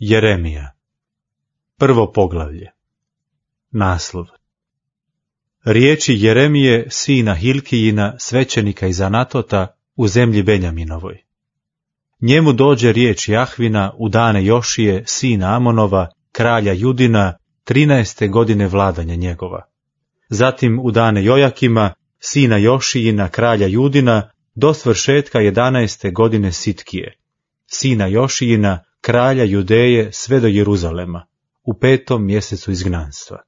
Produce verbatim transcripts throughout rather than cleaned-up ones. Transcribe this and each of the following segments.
Jeremija. Prvo poglavlje. Naslov. Riječi Jeremije, sina Hilkijina, svećenika iz Anatota, u zemlji Benjaminovoj. Njemu dođe riječ Jahvina u dane Jošije, sina Amonova, kralja Judina, trinaeste godine vladanja njegova. Zatim u dane Jojakima, sina Jošijina, kralja Judina, do svršetka jedanaeste godine Sitkije, sina Jošijina, kralja Judeje, sve do Jeruzalema, u petom mjesecu izgnanstva.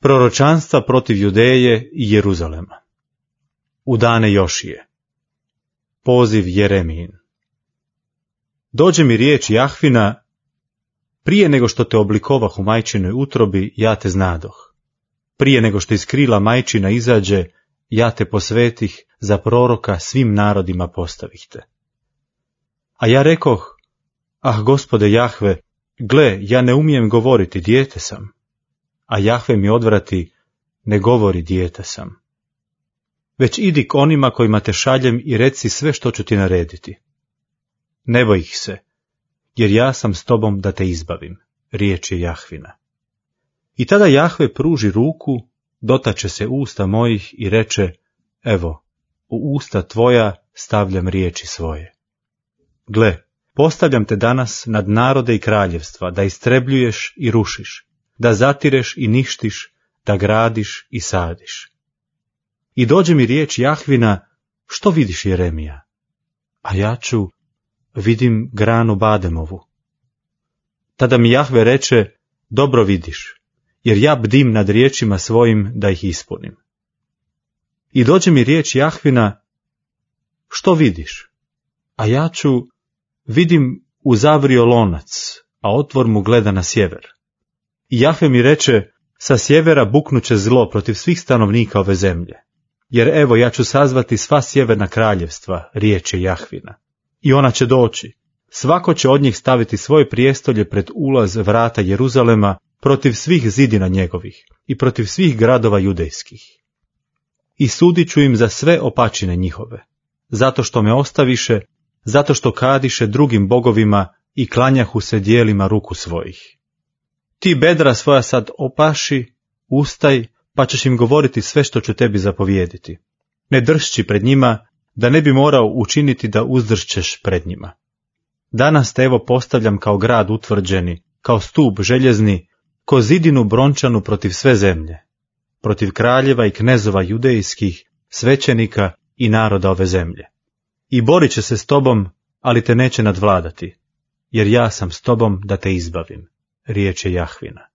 Proročanstva protiv Judeje i Jeruzalema. U dane Jošije. Poziv Jeremijin. Dođe mi riječ Jahvina, prije nego što te oblikovah u majčinoj utrobi, ja te znadoh. Prije nego što iz krila majčina izađe, ja te posvetih, za proroka svim narodima postavih te. A ja rekoh, ah Gospode Jahve, gle, ja ne umijem govoriti, dijete sam. A Jahve mi odvrati, ne govori, dijete sam. Već idi k onima kojima te šaljem i reci sve što ću ti narediti. Ne boj ih se, jer ja sam s tobom da te izbavim, riječ je Jahvina. I tada Jahve pruži ruku, dotače se usta mojih i reče, evo, u usta tvoja stavljam riječi svoje. Gle, postavljam te danas nad narode i kraljevstva, da istrebljuješ i rušiš, da zatireš i ništiš, da gradiš i sadiš. I dođe mi riječ Jahvina, što vidiš Jeremija? A ja ću, vidim granu bademovu. Tada mi Jahve reče, dobro vidiš, jer ja bdim nad riječima svojim da ih ispunim. I dođe mi riječ Jahvina, što vidiš? A ja ću, vidim uzavrio lonac, a otvor mu gleda na sjever. I Jahve mi reče, sa sjevera buknuće zlo protiv svih stanovnika ove zemlje. Jer evo ja ću sazvati sva sjeverna kraljevstva, riječ je Jahvina. I ona će doći. Svako će od njih staviti svoje prijestolje pred ulaz vrata Jeruzalema, protiv svih zidina njegovih i protiv svih gradova judejskih. I sudit ću im za sve opačine njihove, zato što me ostaviše, zato što kadiše drugim bogovima i klanjahu se dijelima ruku svojih. Ti bedra svoja sad opaši, ustaj, pa ćeš im govoriti sve što ću tebi zapovijediti. Ne dršći pred njima, da ne bi morao učiniti da uzdršćeš pred njima. Danas te evo postavljam kao grad utvrđeni, kao stup željezni, ko zidinu brončanu protiv sve zemlje, protiv kraljeva i knezova judejskih, svećenika i naroda ove zemlje. I borit će se s tobom, ali te neće nadvladati, jer ja sam s tobom da te izbavim, riječ je Jahvina.